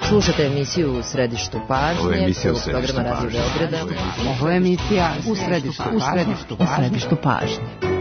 Slušate emisiju U središtu pažnje, programa Radio Beograda. Ovo je emisija U središtu pažnje.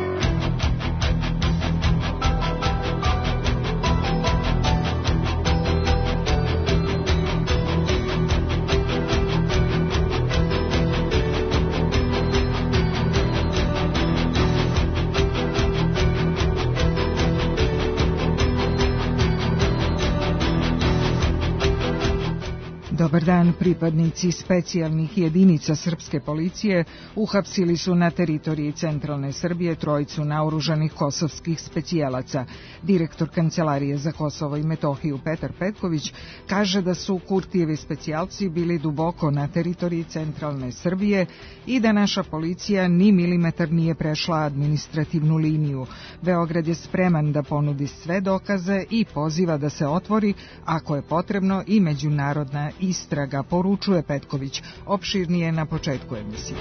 Dobar dan, pripadnici specijalnih jedinica srpske policije uhapsili su na teritoriji centralne Srbije trojicu naoružanih kosovskih specijalaca. Direktor Kancelarije za Kosovo i Metohiju Petar Petković kaže da su Kurtijevi specijalci bili duboko na teritoriji centralne Srbije i da naša policija ni milimetar nije prešla administrativnu liniju. Beograd je spreman da ponudi sve dokaze i poziva da se otvori, ako je potrebno, i međunarodna istraga, poručuje Petković. Opširnije na početku emisije.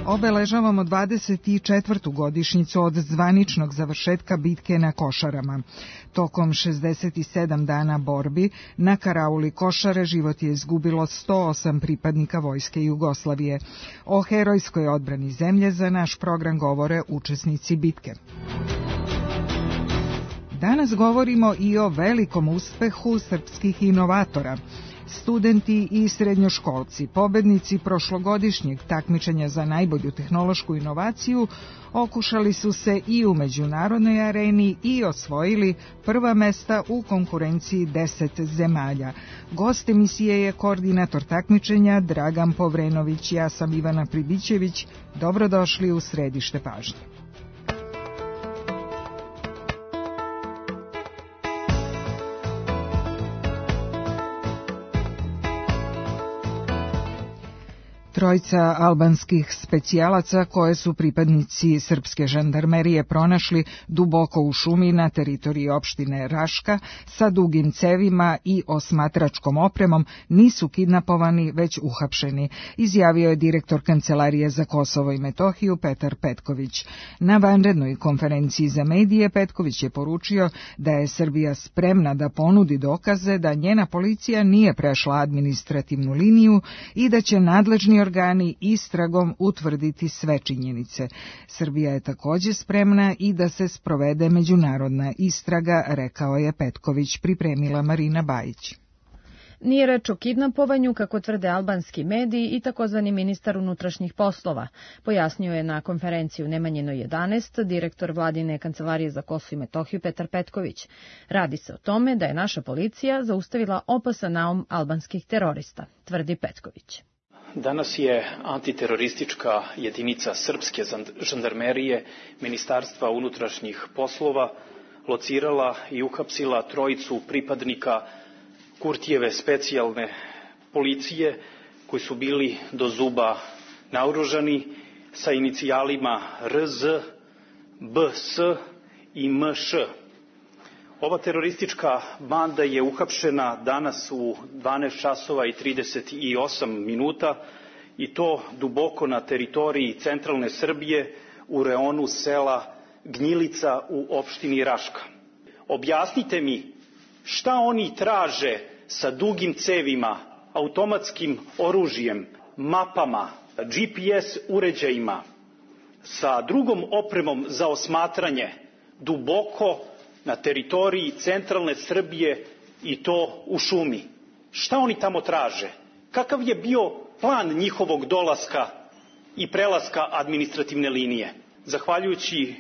Obeležavamo 24. godišnjicu od zvaničnog završetka bitke na Košarama. Tokom 67 dana borbi na karauli Košare život je izgubilo 108 pripadnika Vojske Jugoslavije. O herojskoj odbrani zemlje za naš program govore učesnici bitke. Danas govorimo i o velikom uspehu srpskih inovatora. Studenti i srednjoškolci, pobednici prošlogodišnjeg takmičenja za najbolju tehnološku inovaciju, okušali su se i u međunarodnoj areni i osvojili prva mesta u konkurenciji 10 zemalja. Gost emisije je koordinator takmičenja Dragan Povrenović. Ja sam Ivana Pribićević. Dobrodošli u središte pažnje. Trojica albanskih specijalaca koje su pripadnici srpske žandarmerije pronašli duboko u šumi na teritoriji opštine Raška sa dugim cevima i osmatračkom opremom nisu kidnapovani, već uhapšeni, izjavio je direktor Kancelarije za Kosovo i Metohiju Petar Petković. Na vanrednoj konferenciji za medije Petković je poručio da je Srbija spremna da ponudi dokaze da njena policija nije prešla administrativnu liniju i da će nadležni organi istragom utvrditi sve činjenice. Srbija je također spremna i da se sprovede međunarodna istraga, rekao je Petković, pripremila Marina Bajić. Nije reč o kidnapovanju, kako tvrde albanski mediji i takozvani ministar unutrašnjih poslova, pojasnio je na konferenciji u Nemanjinoj 11 direktor Vladine Kancelarije za Kosovo i Metohiju Petar Petković. Radi se o tome da je naša policija zaustavila opasan naum albanskih terorista, tvrdi Petković. Danas je antiteroristička jedinica srpske žandarmerije Ministarstva unutrašnjih poslova locirala i uhapsila trojicu pripadnika Kurtijeve specijalne policije koji su bili do zuba naoružani sa inicijalima RZ, BS i MŠ. Ova teroristička banda je uhapšena danas u 12 časova i 38 minuta i to duboko na teritoriji centralne Srbije u reonu sela Gnjilica u opštini Raška. Objasnite mi šta oni traže sa dugim cevima, automatskim oružjem, mapama, GPS uređajima, sa drugom opremom za osmatranje duboko na teritoriji centralne Srbije i to u šumi. Šta oni tamo traže? Kakav je bio plan njihovog dolaska i prelaska administrativne linije? Zahvaljujući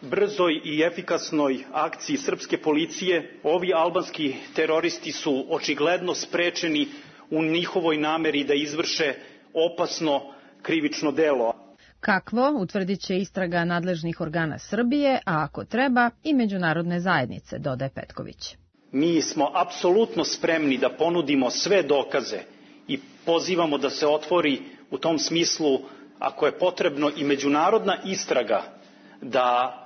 brzoj i efikasnoj akciji srpske policije, ovi albanski teroristi su očigledno sprečeni u njihovoj nameri da izvrše opasno krivično delo. Kakvo, utvrdit će istraga nadležnih organa Srbije, a ako treba i međunarodne zajednice, dodaje Petković. Mi smo apsolutno spremni da ponudimo sve dokaze i pozivamo da se otvori u tom smislu, ako je potrebno, i međunarodna istraga, da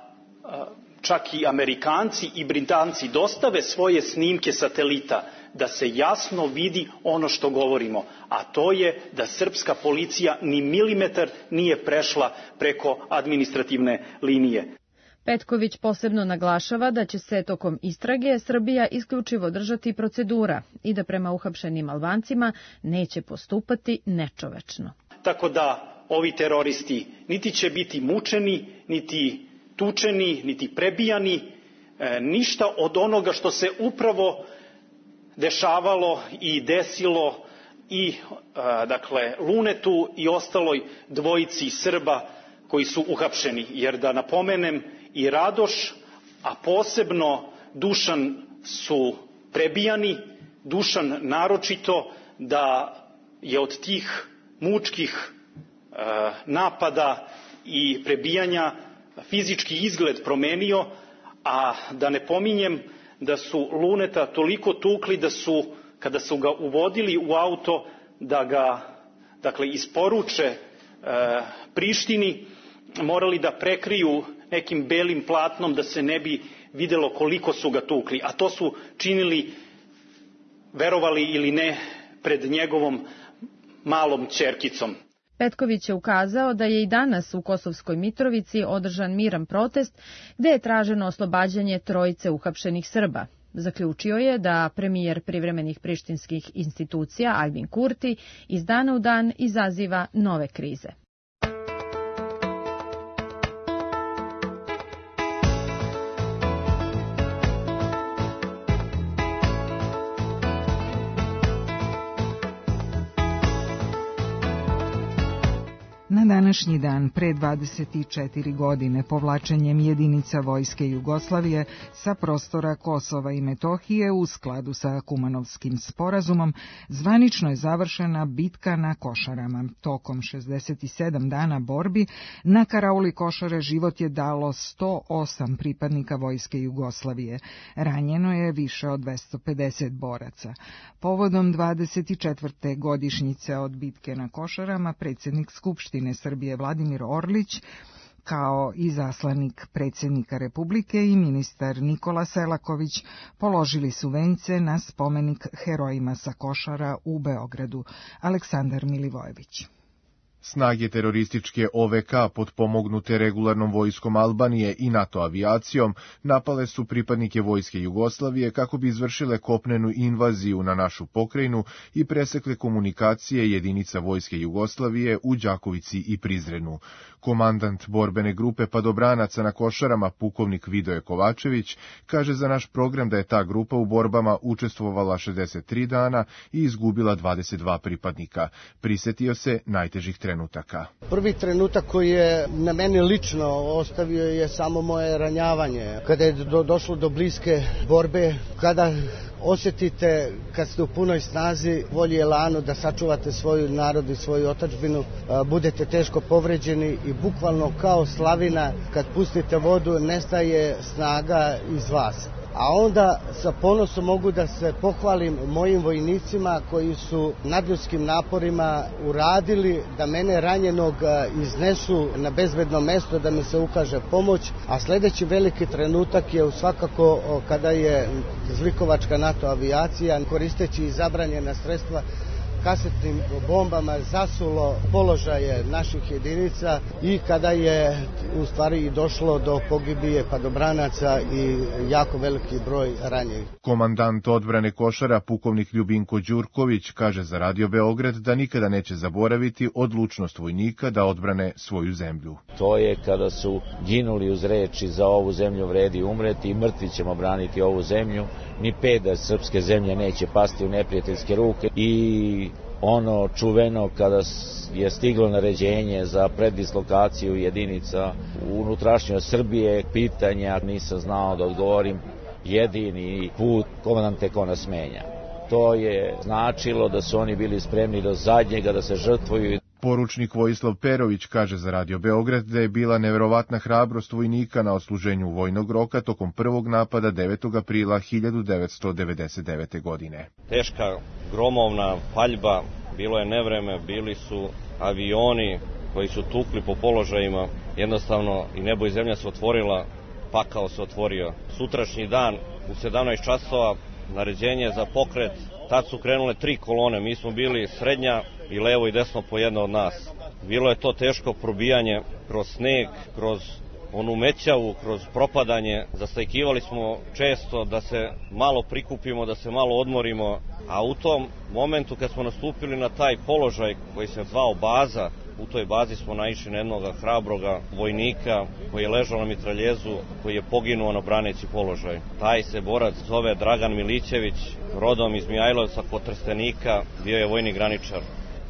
čak i Amerikanci i Britanci dostave svoje snimke satelita, da se jasno vidi ono što govorimo, a to je da srpska policija ni milimetar nije prešla preko administrativne linije. Petković posebno naglašava da će se tokom istrage Srbija isključivo držati procedura i da prema uhapšenim Albancima neće postupati nečovečno. Tako da ovi teroristi niti će biti mučeni, niti tučeni, niti prebijani, ništa od onoga što se upravo dešavalo i desilo i Lunetu i ostaloj dvojici Srba koji su uhapšeni. Jer da napomenem, i Radoš, a posebno Dušan su prebijani, Dušan naročito, da je od tih mučkih napada i prebijanja fizički izgled promenio, a da ne pominjem da su Luneta toliko tukli da su, kada su ga uvodili u auto, da ga isporuče Prištini, morali da prekriju nekim belim platnom da se ne bi videlo koliko su ga tukli. A to su činili, verovali ili ne, pred njegovom malom ćerkicom. Petković je ukazao da je i danas u Kosovskoj Mitrovici održan miran protest gde je traženo oslobađanje trojice uhapšenih Srba. Zaključio je da premijer privremenih prištinskih institucija Albin Kurti iz dana u dan izaziva nove krize. Na današnji dan, pre 24 godine, povlačenjem jedinica Vojske Jugoslavije sa prostora Kosova i Metohije u skladu sa Kumanovskim sporazumom, zvanično je završena bitka na Košarama. Tokom 67 dana borbi na karauli Košare život je dalo 108 pripadnika Vojske Jugoslavije. Ranjeno je više od 250 boraca. Povodom 24. godišnjice od bitke na Košarama, predsjednik Skupštine Srbije Vladimir Orlić, kao i zaslanik predsjednika Republike i ministar Nikola Selaković, položili su vence na spomenik herojima sa Košara u Beogradu. Aleksandar Milivojević. Snage terorističke OVK, potpomognute regularnom vojskom Albanije i NATO avijacijom, napale su pripadnike Vojske Jugoslavije kako bi izvršile kopnenu invaziju na našu pokrajinu i presekle komunikacije jedinica Vojske Jugoslavije u Đakovici i Prizrenu. Komandant borbene grupe padobranaca na Košarama, pukovnik Vidoje Kovačević, kaže za naš program da je ta grupa u borbama učestvovala 63 dana i izgubila 22 pripadnika. Prisetio se najtežih trenutaka. Prvi trenutak koji je na mene lično ostavio je samo moje ranjavanje. Kada je došlo do bliske borbe, kada osjetite, kad ste u punoj snazi, volji elanu da sačuvate svoju narod i svoju otadžbinu, budete teško povređeni i bukvalno kao slavina, kad pustite vodu, nestaje snaga iz vas. A onda sa ponosom mogu da se pohvalim mojim vojnicima koji su nadljudskim naporima uradili da mene ranjenog iznesu na bezbedno mesto, da mi se ukaže pomoć. A sljedeći veliki trenutak je svakako kada je zlikovačka NATO avijacija, koristeći zabranjena sredstva, kasetnim bombama zasulo položaje naših jedinica i kada je u stvari došlo do pogibije padobranaca i jako veliki broj ranjenih. Komandant odbrane Košara, pukovnik Ljubinko Đurković, kaže za Radio Beograd da nikada neće zaboraviti odlučnost vojnika da odbrane svoju zemlju. To je kada su ginuli uz reči za ovu zemlju vredi umreti i mrtvi ćemo braniti ovu zemlju, ni peda srpske zemlje neće pasti u neprijateljske ruke i ono čuveno kada je stiglo naređenje za predislokaciju jedinica u unutrašnjoj Srbije, pitanja nisam znao da odgovorim, jedini put komandante ko nas menja. To je značilo da su oni bili spremni do zadnjega da se žrtvuju. Poručnik Vojislav Perović kaže za Radio Beograd da je bila neverovatna hrabrost vojnika na odsluženju vojnog roka tokom prvog napada 9. aprila 1999. godine. Teška, gromovna paljba, bilo je nevreme, bili su avioni koji su tukli po položajima, jednostavno i nebo i zemlja se otvorila, pakao se otvorio. Sutrašnji dan u 17 časova naređenje za pokret, tad su krenule 3 kolone, mi smo bili srednja i levo i desno po jedna od nas. Bilo je to teško probijanje kroz sneg, kroz onu mećavu, kroz propadanje. Zastajkivali smo često da se malo prikupimo, da se malo odmorimo, a u tom momentu kad smo nastupili na taj položaj koji se zvao baza, u toj bazi smo naišli na jednog hrabroga vojnika koji je ležao na mitraljezu, koji je poginuo na braneći položaj. Taj se borac zove Dragan Milićević, rodom iz Mihajlovca kod Trstenika, bio je vojni graničar.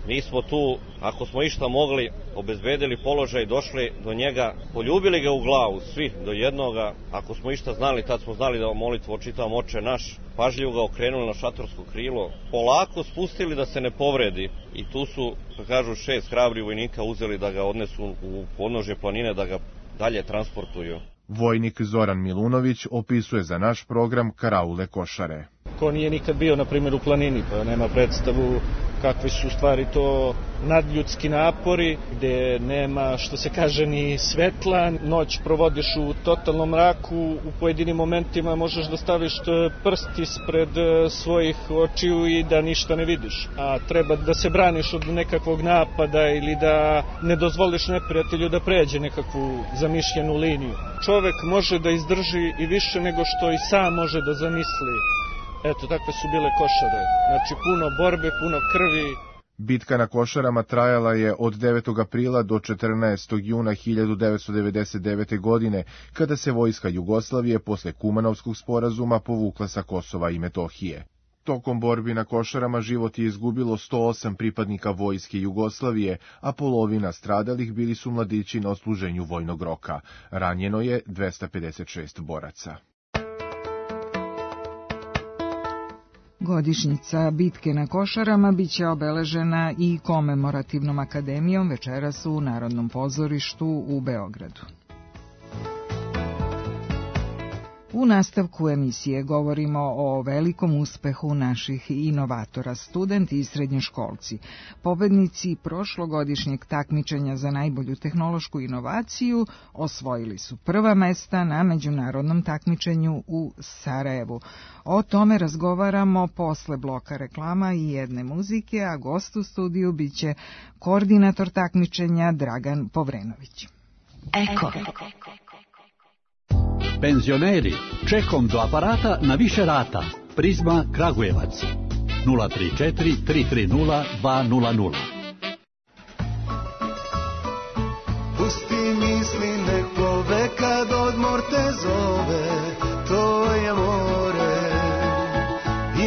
Mi smo tu, ako smo išta mogli, obezbedili položaj, došli do njega, poljubili ga u glavu, svi do jednoga. Ako smo išta znali, tad smo znali da molitvu očitavamo Oče naš, pažljivo ga okrenuli na šatorsko krilo, polako spustili da se ne povredi i tu su, kako kažu, 6 hrabri vojnika uzeli da ga odnesu u podnožje planine, da ga dalje transportuju. Vojnik Zoran Milunović opisuje za naš program karaule Košare. Ko nije nikad bio, na primjer, u planini, pa nema predstavu kakvi su stvari to nadljudski napori, gde nema, što se kaže, ni svetla, noć provodiš u totalnom mraku, u pojedinim momentima možeš da staviš prst ispred svojih očiju i da ništa ne vidiš, a treba da se braniš od nekakvog napada ili da ne dozvoliš neprijatelju da pređe nekakvu zamišljenu liniju. Čovek može da izdrži i više nego što i sam može da zamisli. Eto, takve su bile Košare. Znači, puno borbe, puno krvi. Bitka na Košarama trajala je od 9. aprila do 14. juna 1999. godine, kada se vojska Jugoslavije posle Kumanovskog sporazuma povukla sa Kosova i Metohije. Tokom borbi na Košarama život je izgubilo 108 pripadnika vojske Jugoslavije, a polovina stradalih bili su mladići na odsluženju vojnog roka. Ranjeno je 256 boraca. Godišnjica bitke na Košarama biće obeležena i komemorativnom akademijom večeras u Narodnom pozorištu u Beogradu. U nastavku emisije govorimo o velikom uspehu naših inovatora, studenti i srednjoškolci. Pobednici prošlogodišnjeg takmičenja za najbolju tehnološku inovaciju osvojili su prva mesta na međunarodnom takmičenju u Sarajevu. O tome razgovaramo posle bloka reklama i jedne muzike, a gost u studiju biće koordinator takmičenja Dragan Povrenović. Eko. Penzioneri, čekom do aparata na više rata. Prizma Kragujevac. 034 330 200. Pusti misli, nek plove kad odmor te zove, to je more.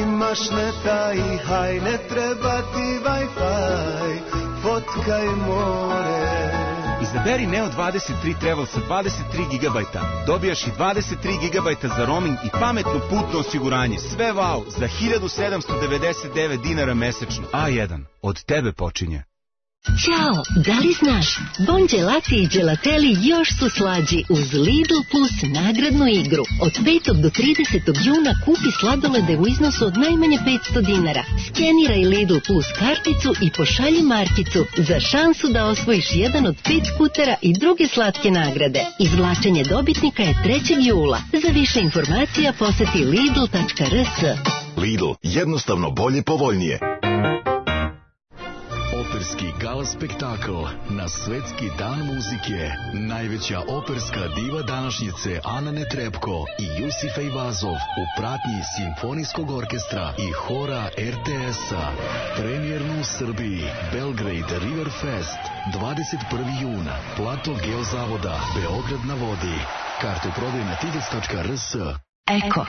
Imaš neta i haj, ne treba ti Wi-Fi, fotkaj more. Izaberi Neo 23 Travel sa 23 GB. Dobijaš i 23 GB za roaming i pametno putno osiguranje. Sve wow za 1799 dinara mesečno. A1, od tebe počinje. Ćao, da li znaš? Bon Gelati i Gelateli još su slađi uz Lidl Plus nagradnu igru. Od 5. do 30. juna kupi sladolede u iznosu od najmanje 500 dinara. Skeniraj Lidl Plus karticu i pošalji markicu za šansu da osvojiš jedan od 5 skutera i druge slatke nagrade. Izvlačenje dobitnika je 3. jula. Za više informacija poseti lidl.rs. Lidl, jednostavno bolje, povoljnije. Operski gala spektakl na Svetski dan muzike. Najveća operska diva današnjice Ana Netrebko i Jusif Ejvazov u pratnji Simfonijskog orkestra i hora RTS-a. Premijerno u Srbiji. Belgrade River Fest. 21. juna. Plato Geozavoda. Beograd na vodi. Karte u prodaju na tickets.rs. Eko.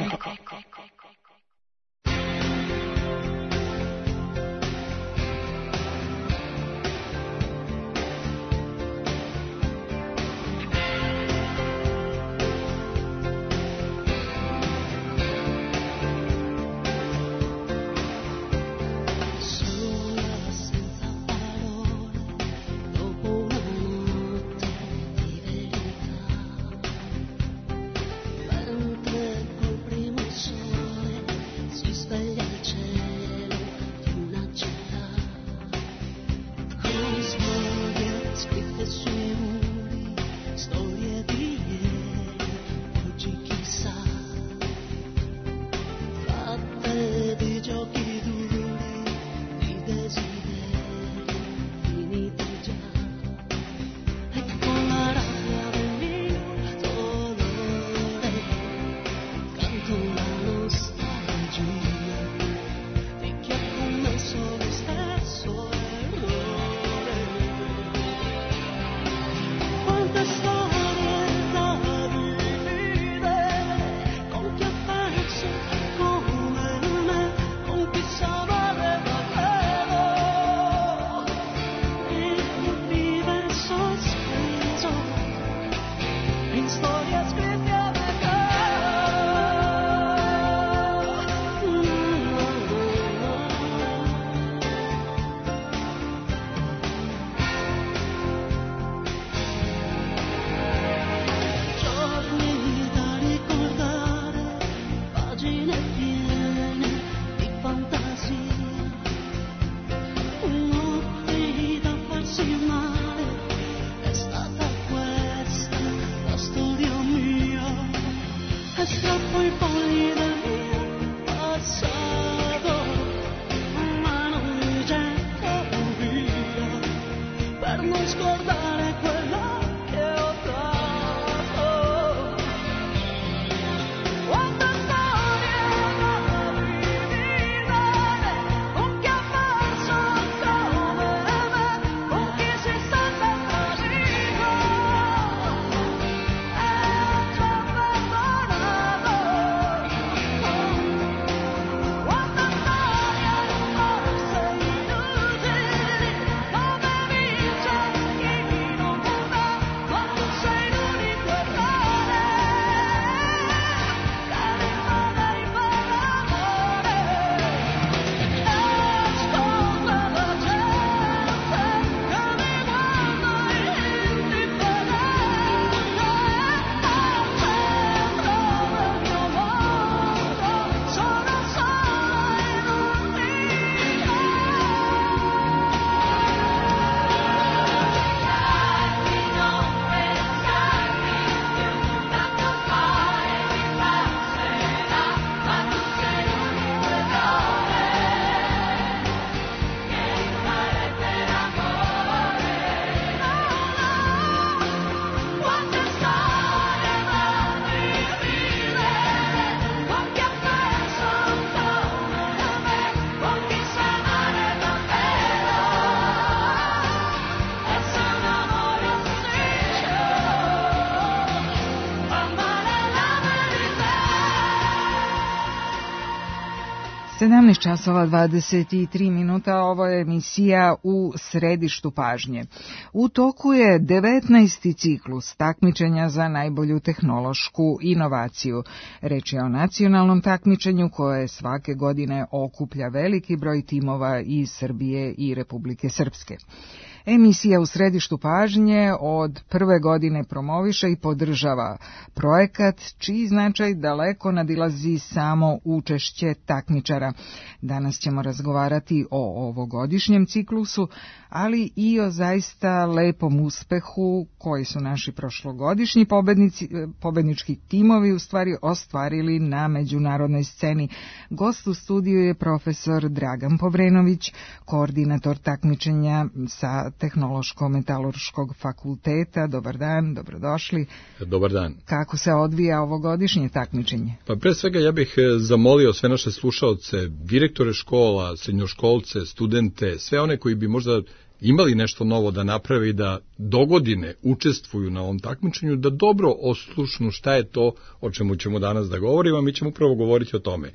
Mentre col primo sole 17 časova 23 minuta, ovo je emisija U središtu pažnje. U toku je 19. ciklus takmičenja za najbolju tehnološku inovaciju. Reč je o nacionalnom takmičenju koje svake godine okuplja veliki broj timova iz Srbije i Republike Srpske. Emisija U središtu pažnje od prve godine promoviše i podržava projekat čiji značaj daleko nadilazi samo učešće takmičara. Danas ćemo razgovarati o ovogodišnjem ciklusu, ali i o zaista lepom uspehu koji su naši prošlogodišnji pobednički timovi u stvari ostvarili na međunarodnoj sceni. Gost u studiju je profesor Dragan Povrenović, koordinator takmičenja sa Tehnološko-metalurškog fakulteta. Dobar dan, dobrodošli. Dobar dan. Kako se odvija ovogodišnje takmičenje? Pa pre svega ja bih zamolio sve naše slušaoce, direktore škola, srednjoškolce, studente, sve one koji bi možda imali nešto novo da naprave i da dogodine učestvuju na ovom takmičenju, da dobro oslušnu šta je to o čemu ćemo danas da govorimo, a mi ćemo upravo govoriti o tome.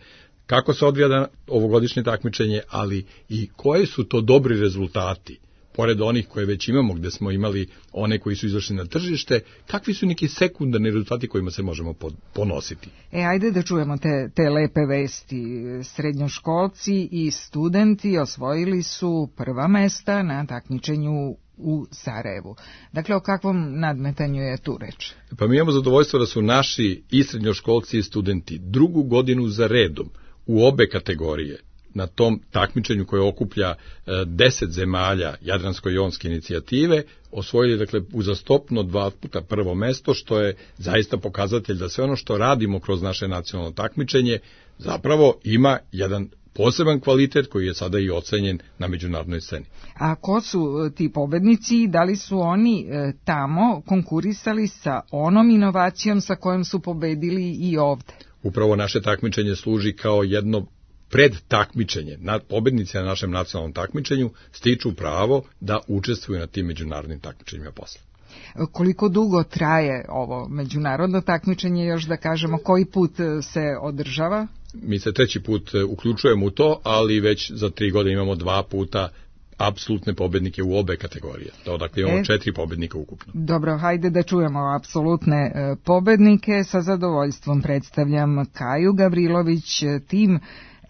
Kako se odvija ovogodišnje takmičenje, ali i koji su to dobri rezultati, pored onih koje već imamo, gde smo imali one koji su izašli na tržište, kakvi su neki sekundarni rezultati kojima se možemo ponositi? Ajde da čujemo te lepe vesti. Srednjoškolci i studenti osvojili su prva mesta na takmičenju u Sarajevu. Dakle, o kakvom nadmetanju je tu reč? Pa mi imamo zadovoljstvo da su naši i srednjoškolci i studenti drugu godinu za redom u obe kategorije na tom takmičenju koje okuplja 10 zemalja Jadransko-jonske inicijative, osvojili dakle uzastopno 2 puta prvo mesto, što je zaista pokazatelj da sve ono što radimo kroz naše nacionalno takmičenje zapravo ima jedan poseban kvalitet koji je sada i ocenjen na međunarodnoj sceni. A ko su ti pobednici? Da li su oni tamo konkurisali sa onom inovacijom sa kojom su pobedili i ovde? Upravo naše takmičenje služi kao jedno pred takmičenje. Pobednici na našem nacionalnom takmičenju stiču pravo da učestvuju na tim međunarodnim takmičenjima posle. Koliko dugo traje ovo međunarodno takmičenje, još da kažemo koji put se održava? Mi se 3. put uključujemo u to, ali već za 3 godine imamo 2 puta apsolutne pobednike u obe kategorije. Dakle, imamo 4 pobednika ukupno. Dobro, hajde da čujemo apsolutne pobednike. Sa zadovoljstvom predstavljam Kaju Gavrilović, tim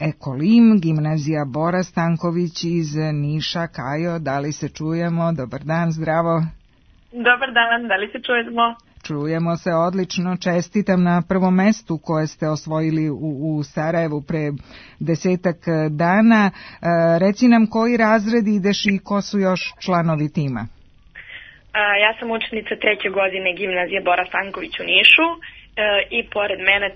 Ekolim, gimnazija Bora Stanković iz Niša. Kajo, da li se čujemo? Dobar dan, zdravo. Dobar dan, da li se čujemo? Čujemo se odlično, čestitam na prvom mestu koje ste osvojili u Sarajevu pre 10 dana. Reci nam koji razred ideš i ko su još članovi tima? Ja sam učenica 3. godine gimnazije Bora Stanković u Nišu i pored mene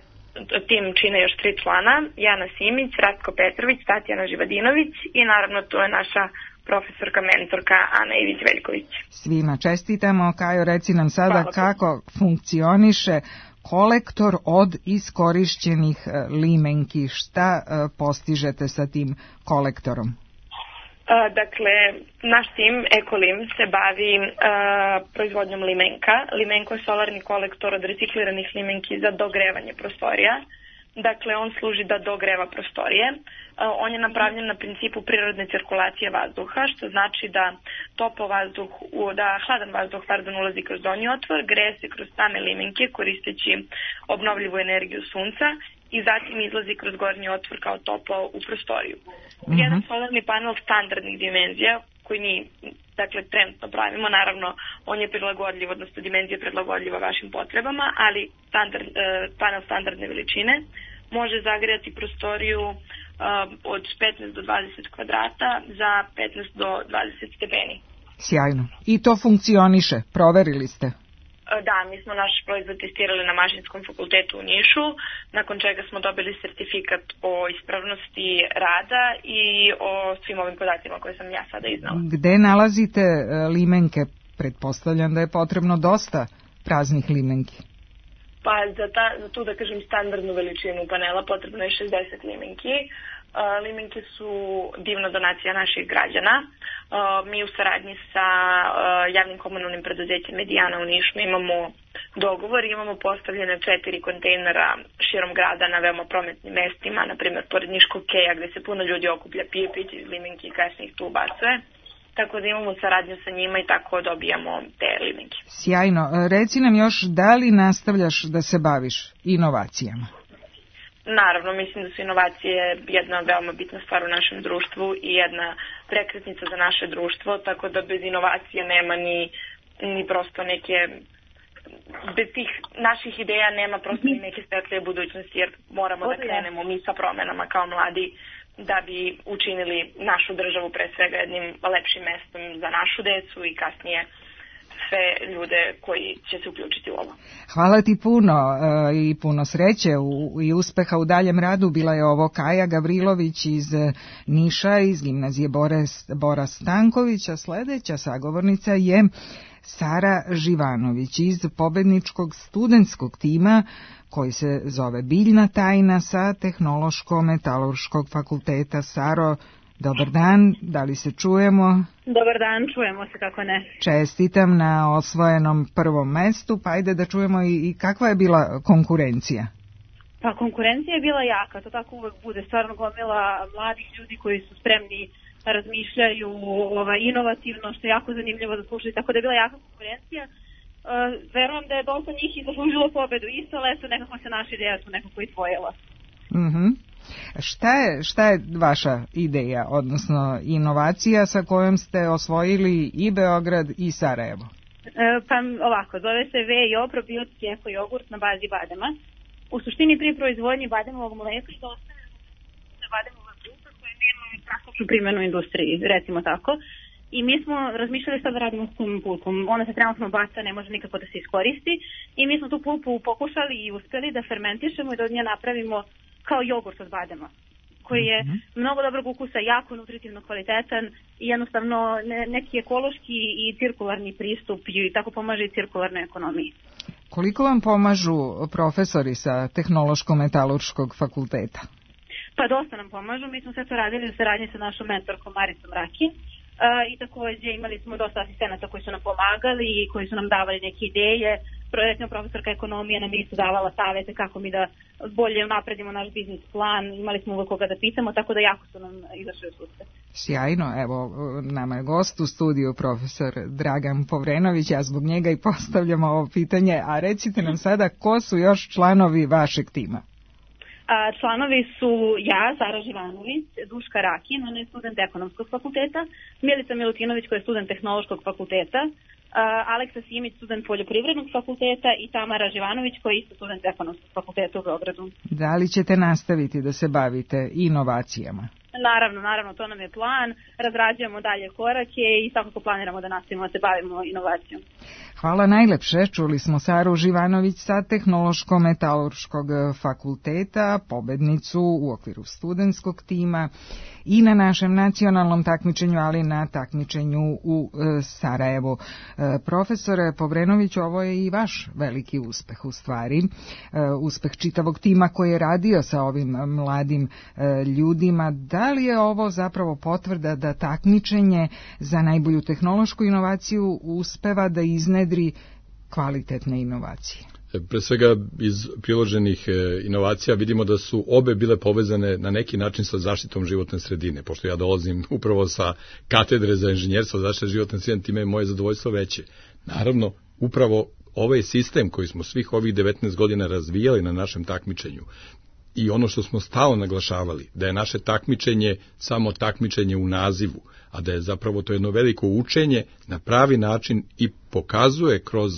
tim čine još 3 člana, Jana Simić, Ratko Petrović, Tatjana Živadinović i naravno tu je naša profesorka, mentorka Ana Ivić-Veljković. Svima čestitamo. Kajo, reci nam sada kako funkcioniše kolektor od iskorišćenih limenki. Šta postižete sa tim kolektorom? Dakle, naš tim Ekolim se bavi proizvodnjom limenka. Limenko je solarni kolektor od recikliranih limenki za dogrevanje prostorija. Dakle, on služi da dogreva prostorije. On je napravljen na principu prirodne cirkulacije vazduha, što znači da hladan vazduh ulazi kroz donji otvor, greje se kroz same limenke koristeći obnovljivu energiju sunca i zatim izlazi kroz gornji otvor kao toplo u prostoriju. Jedan solarni panel standardnih dimenzija koji mi trenutno pravimo, naravno on je prilagodljiv, odnosno dimenzija prilagodljiva vašim potrebama, ali panel standardne veličine može zagrijati prostoriju od 15 do 20 kvadrata za 15 do 20 stepeni. Sjajno. I to funkcioniše? Proverili ste? Da, mi smo naš proizvod testirali na Mašinskom fakultetu u Nišu, nakon čega smo dobili sertifikat o ispravnosti rada i o svim ovim podacima koje sam ja sada iznala. Gde nalazite limenke? Pretpostavljam da je potrebno dosta praznih limenki. Pa za tu, da kažem, standardnu veličinu panela potrebno je 60 limenki. Limenke su divna donacija naših građana. Mi u saradnji sa javnim komunalnim preduzećem Medijana u Nišu imamo dogovor, imamo postavljene 4 kontejnera širom grada na veoma prometnim mestima, na primjer pored Niškog keja gde se puno ljudi okuplja, pije piće iz limenki i kasnije ih tu ubacuje. Tako da imamo saradnju sa njima i tako dobijamo te limenke. Sjajno. Reci nam još, da li nastavljaš da se baviš inovacijama? Naravno, mislim da su inovacije jedna veoma bitna stvar u našem društvu i jedna prekretnica za naše društvo, tako da bez inovacije nema ni prosto neke, bez tih naših ideja nema prosto neke svetlije budućnosti, jer moramo da krenemo mi sa promenama kao mladi da bi učinili našu državu pre svega jednim lepšim mestom za našu decu i kasnije sve ljude koji će se uključiti u ovo. Hvala ti puno i puno sreće i uspeha u daljem radu. Bila je ovo Kaja Gavrilović iz Niša, iz gimnazije Bora Stanković, a sledeća sagovornica je Sara Živanović iz pobedničkog studentskog tima koji se zove Biljna tajna sa Tehnološko-metalurškog fakulteta. Saro, dobar dan, da li se čujemo? Dobar dan, čujemo se, kako ne. Čestitam na osvojenom prvom mestu, pa ajde da čujemo i kakva je bila konkurencija? Pa konkurencija je bila jaka, to tako uvek bude, stvarno gomila mladih ljudi koji su spremni, razmišljaju inovativno, što je jako zanimljivo da slušaju, tako da je bila jaka konkurencija. Verujem da je dosta njih i zaslužilo pobedu isto, ali eto nekako se naša ideja tu nekako izdvojila. Šta je vaša ideja, odnosno inovacija sa kojom ste osvojili i Beograd i Sarajevo? Pa ovako, zove se VJO, probiotski eko jogurt na bazi badema. U suštini pri proizvodnji bademovog mleka dostavljamo se bademova grupa koja nema praktičnu primjenu u industriji, recimo tako. I mi smo razmišljali šta da radimo s tom pulpom. Ona se trenutno baca, ne može nikako da se iskoristi. I mi smo tu pulpu pokušali i uspeli da fermentišemo i da od nje napravimo kao jogurt od badema, koji je mnogo dobrog ukusa, jako nutritivno kvalitetan i jednostavno neki ekološki i cirkularni pristup i tako pomaže i cirkularnoj ekonomiji. Koliko vam pomažu profesori sa Tehnološko-metalurškog fakulteta? Pa dosta nam pomažu, mi smo sve to radili u saradnji sa našom mentorkom Maricom Rakin i takođe imali smo dosta asistenata koji su nam pomagali i koji su nam davali neke ideje. Recimo profesorka ekonomije nam isto davala savete kako mi da bolje napredimo naš biznis plan, imali smo uvek koga da pitamo, tako da jako su nam izašli u susret. Sjajno, evo nama je gost u studiju profesor Dragan Povrenović, ja zbog njega i postavljam ovo pitanje, a recite nam sada ko su još članovi vašeg tima? Članovi su ja, Sara Živanović, Duška Rakin, ona je student ekonomskog fakulteta, Milica Milutinović koja je student tehnološkog fakulteta, Aleksa Simić, student poljoprivrednog fakulteta i Tamara Živanović koja je isto student ekonomskog fakulteta u Beogradu. Da li ćete nastaviti da se bavite inovacijama? Naravno, to nam je plan, razrađujemo dalje korake i svakako planiramo da nastavimo da se bavimo inovacijom. Hvala najlepše, čuli smo Saru Živanović sa Tehnološko-metalurškog fakulteta, pobednicu u okviru studentskog tima i na našem nacionalnom takmičenju, ali na takmičenju u Sarajevu. Profesore Povrenović, ovo je i vaš veliki uspeh u stvari, uspeh čitavog tima koji je radio sa ovim mladim ljudima. Da li je ovo zapravo potvrda da takmičenje za najbolju tehnološku inovaciju uspeva da iznedri kvalitetne inovacije? Pre svega iz priloženih inovacija vidimo da su obe bile povezane na neki način sa zaštitom životne sredine. Pošto ja dolazim upravo sa katedre za inženjerstvo zaštite životne sredine, time je moje zadovoljstvo veće. Naravno, upravo ovaj sistem koji smo svih ovih 19 godina razvijali na našem takmičenju i ono što smo stalno naglašavali, da je naše takmičenje samo takmičenje u nazivu, a da je zapravo to jedno veliko učenje na pravi način i pokazuje kroz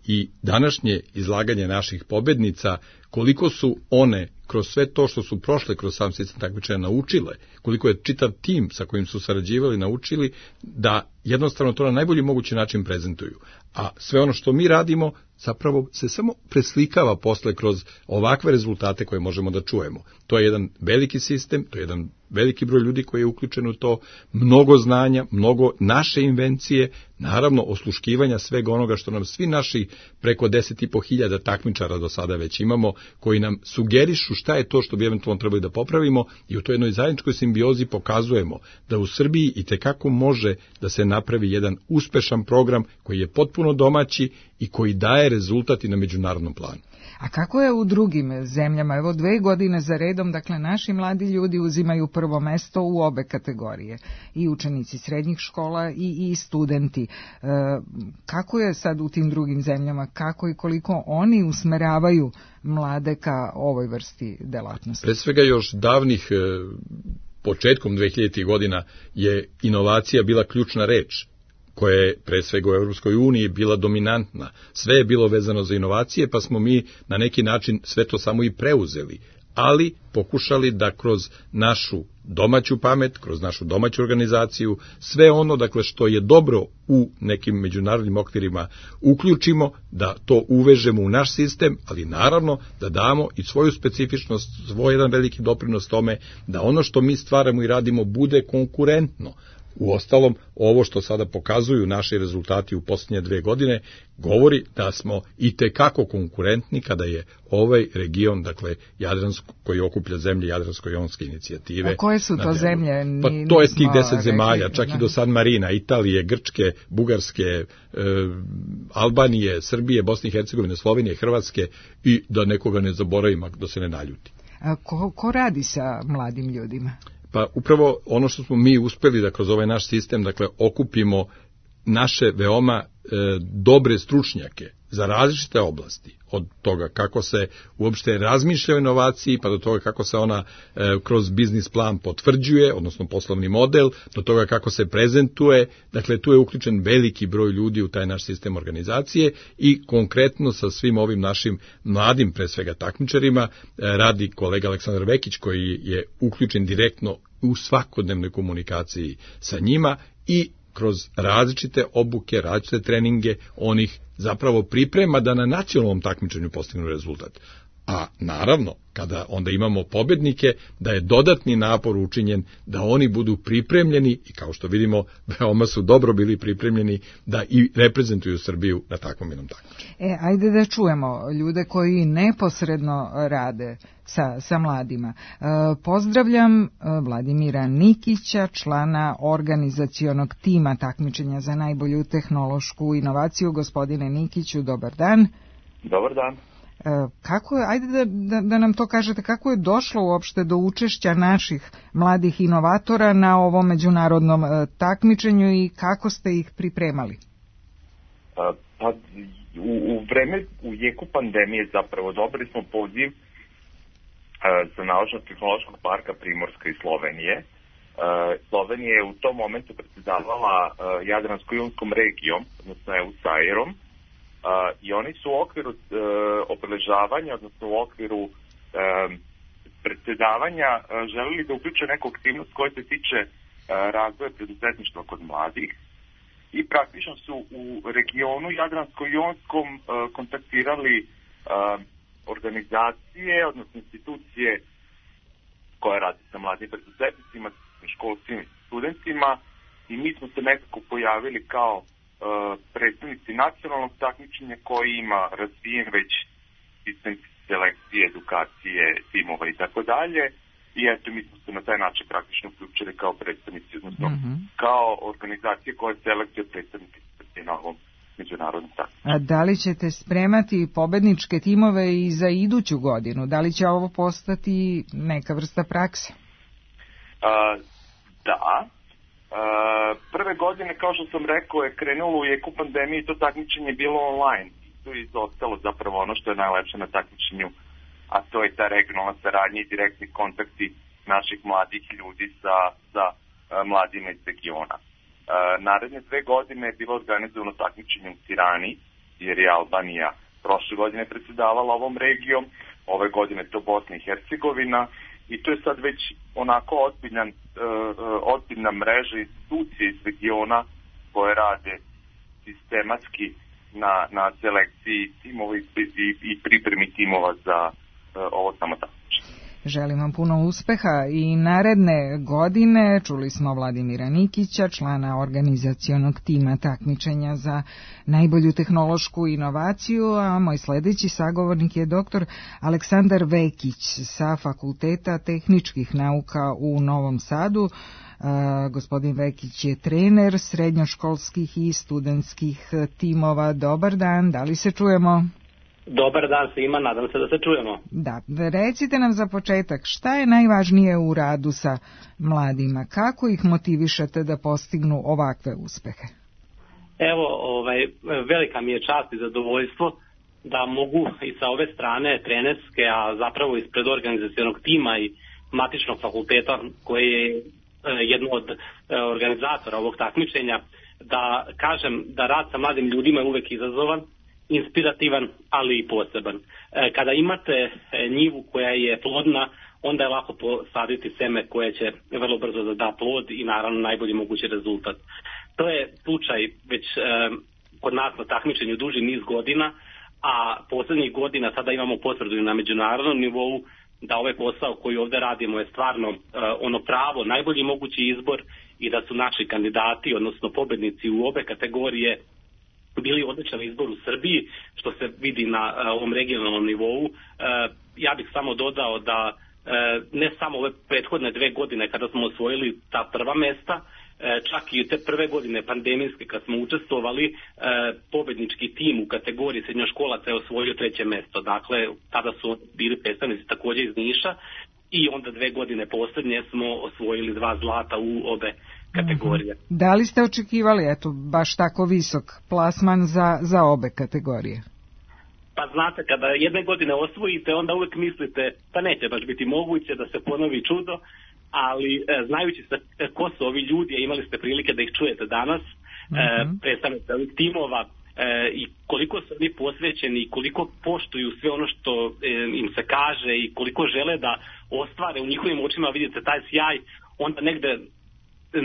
i današnje izlaganje naših pobednica koliko su one kroz sve to što su prošle kroz sam sistem takmičenja naučile, koliko je čitav tim sa kojim su sarađivali naučili da jednostavno to na najbolji mogući način prezentuju. A sve ono što mi radimo zapravo se samo preslikava posle kroz ovakve rezultate koje možemo da čujemo. To je jedan veliki sistem, to je jedan veliki broj ljudi koji je uključen u to, mnogo znanja, mnogo naše invencije, naravno osluškivanja svega onoga što nam svi naši preko 10.500 takmičara do sada već imamo, koji nam sugerišu šta je to što bi eventualno trebali da popravimo i u toj jednoj zajedničkoj simbiozi pokazujemo da u Srbiji itekako može da se napravi jedan uspešan program koji je potpuno domaći i koji daje rezultat i na međunarodnom planu. A kako je u drugim zemljama? Evo 2 godine za redom, dakle, naši mladi ljudi uzimaju prvo mesto u obe kategorije. I učenici srednjih škola i studenti. Kako je sad u tim drugim zemljama? Kako i koliko oni usmeravaju mlade ka ovoj vrsti delatnosti? Pre svega još davnih, početkom 2000. godina je inovacija bila ključna reč, koja je pre svega u Evropskoj uniji bila dominantna. Sve je bilo vezano za inovacije, pa smo mi na neki način sve to samo i preuzeli, ali pokušali da kroz našu domaću pamet, kroz našu domaću organizaciju, sve ono dakle što je dobro u nekim međunarodnim okvirima uključimo, da to uvežemo u naš sistem, ali naravno da damo i svoju specifičnost, svoj jedan veliki doprinos tome, da ono što mi stvaramo i radimo bude konkurentno. Uostalom, ovo što sada pokazuju naši rezultati u posljednje 2 godine, govori da smo itekako konkurentni kada je ovaj region, dakle, Jadransko, koji okuplja zemlje Jadransko-jonske inicijative. A koje su to zemlje? Pa to je tih 10 zemalja, čak i do San Marina, Italije, Grčke, Bugarske, Albanije, Srbije, Bosne i Hercegovine, Slovenije, Hrvatske i da nekoga ne zaboravim, da se ne naljuti. A ko radi sa mladim ljudima? Pa upravo ono što smo mi uspeli da kroz ovaj naš sistem, dakle, okupimo naše veoma dobre stručnjake za različite oblasti, od toga kako se uopšte razmišlja o inovaciji, pa do toga kako se ona kroz biznis plan potvrđuje, odnosno poslovni model, do toga kako se prezentuje. Dakle, tu je uključen veliki broj ljudi u taj naš sistem organizacije i konkretno sa svim ovim našim mladim, pre svega takmičarima, radi kolega Aleksandar Vekić, koji je uključen direktno u svakodnevnoj komunikaciji sa njima i kroz različite obuke, različite treninge, on ih zapravo priprema da na nacionalnom takmičenju postignu rezultat. A naravno, kada onda imamo pobednike, da je dodatni napor učinjen da oni budu pripremljeni i kao što vidimo, veoma su dobro bili pripremljeni da i reprezentuju Srbiju na takvom jednom takmičenju. Ajde da čujemo ljude koji neposredno rade sa mladima. Pozdravljam Vladimira Nikića, člana organizacionog tima takmičenja za najbolju tehnološku inovaciju. Gospodine Nikiću, dobar dan. Dobar dan. Kako je, ajde da nam to kažete, kako je došlo uopšte do učešća naših mladih inovatora na ovom međunarodnom takmičenju i kako ste ih pripremali? Pa u jeku pandemije zapravo dobili smo poziv za Naučno-tehnološkog parka Primorska iz Slovenije. Slovenija je u tom momentu predsjedavala Jadransko-jonskom regijom, odnosno EU-SAIR-om, i oni su u okviru obeležavanja, odnosno u okviru predsjedavanja želeli da uključe neku aktivnost koja se tiče razvoja preduzetništva kod mladih i praktično su u regionu Jadransko-jonskom kontaktirali organizacije, odnosno institucije koje radi sa mladim preduzetnicima, školskim studentima i mi smo se nekako pojavili kao predstavnici nacionalnog takmičenja koji ima razvijen već sistem selekcije, edukacije, timova i tako dalje. I eto, mi smo se na taj način praktično uključili kao predstavnici, odnosno kao organizacije koje selekcije predstavnici na ovom međunarodnom takmičenju. A da li ćete spremati pobedničke timove i za iduću godinu? Da li će ovo postati neka vrsta prakse? Da. Prve godine, kao što sam rekao, je krenulo u jeku pandemije i to takmičenje je bilo online. Tu je izostalo zapravo ono što je najlepše na takmičenju, a to je ta regionalna saradnja i direktni kontakti naših mladih ljudi sa mladima iz regiona. Naredne 2 godine je bilo organizovano takmičenje u Tirani, jer je Albanija prošle godine predsjedavala ovom regijom, ove godine je to Bosna i Hercegovina, i to je sad već onako ozbiljna mreža institucije iz regiona koje rade sistematski na selekciji timova i pripremi timova za ovo samo takmičenje. Želim vam puno uspeha i naredne godine. Čuli smo Vladimira Nikića, člana organizacionog tima takmičenja za najbolju tehnološku inovaciju, a moj sledeći sagovornik je doktor Aleksandar Vekić sa Fakulteta tehničkih nauka u Novom Sadu. Gospodin Vekić je trener srednjoškolskih i studentskih timova. Dobar dan, da li se čujemo? Dobar dan svima, nadam se da se čujemo. Da, recite nam za početak, šta je najvažnije u radu sa mladima? Kako ih motivišete da postignu ovakve uspehe? Evo, velika mi je čast i zadovoljstvo da mogu i sa ove strane trenerske, a zapravo ispred organizacionog tima i matičnog fakulteta koji je jedno od organizatora ovog takmičenja, da kažem da rad sa mladim ljudima je uvek izazovan, inspirativan, ali i poseban. Kada imate njivu koja je plodna, onda je lako posaditi seme koje će vrlo brzo da da plod i naravno najbolji mogući rezultat. To je slučaj već kod nas na takmičenju duži niz godina, a poslednjih godina sada imamo potvrdu na međunarodnom nivou da ovaj posao koji ovde radimo je stvarno ono pravo, najbolji mogući izbor i da su naši kandidati, odnosno pobednici u obe kategorije bili odličan izbor u Srbiji, što se vidi na ovom regionalnom nivou. Ja bih samo dodao da ne samo ove prethodne 2 godine kada smo osvojili ta prva mesta, čak i te prve godine pandemijske kad smo učestvovali, pobednički tim u kategoriji srednjoškolaca je osvojio 3. mesto. Dakle, tada su bili predstavnici takođe iz Niša i onda 2 godine poslednje smo osvojili 2 zlata u obe kategorije. Da li ste očekivali baš tako visok plasman za obe kategorije? Pa znate, kada jedne godine osvojite, onda uvek mislite da neće baš biti moguće da se ponovi čudo, ali znajući ko su ovi ljudi, a imali ste prilike da ih čujete danas, predstavnici ovih timova i koliko su oni posvećeni i koliko poštuju sve ono što im se kaže i koliko žele da ostvare u njihovim očima, vidite taj sjaj, onda negde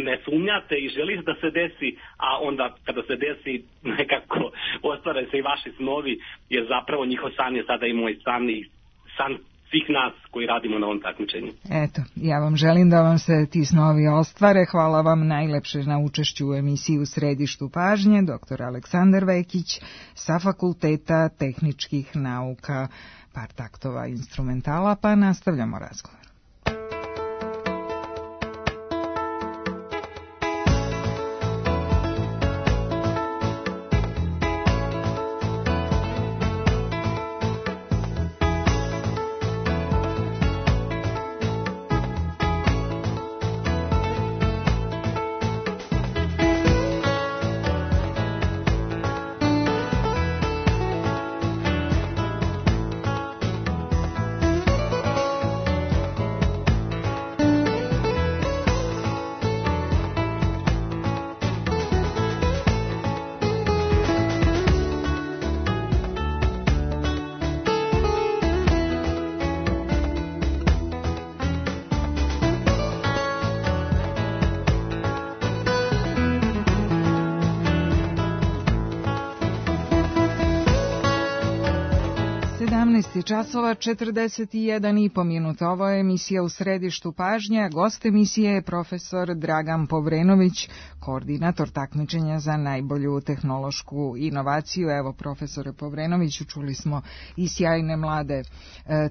ne sumnjate i želite da se desi, a onda kada se desi nekako ostvare se i vaši snovi, jer zapravo njihov san je sada i moj san i san svih nas koji radimo na ovom takmičenju. Eto, ja vam želim da vam se ti snovi ostvare. Hvala vam najlepše na učešću u emisiji U središtu pažnje, dr. Aleksandar Vekić sa Fakulteta tehničkih nauka. Par taktova instrumentala, pa nastavljamo razgovor. Časova 41,5 minuta. Ovo je emisija U središtu pažnje. Gost emisije je profesor Dragan Povrenović, koordinator takmičenja za najbolju tehnološku inovaciju. Evo, profesore Povrenoviću, čuli smo i sjajne mlade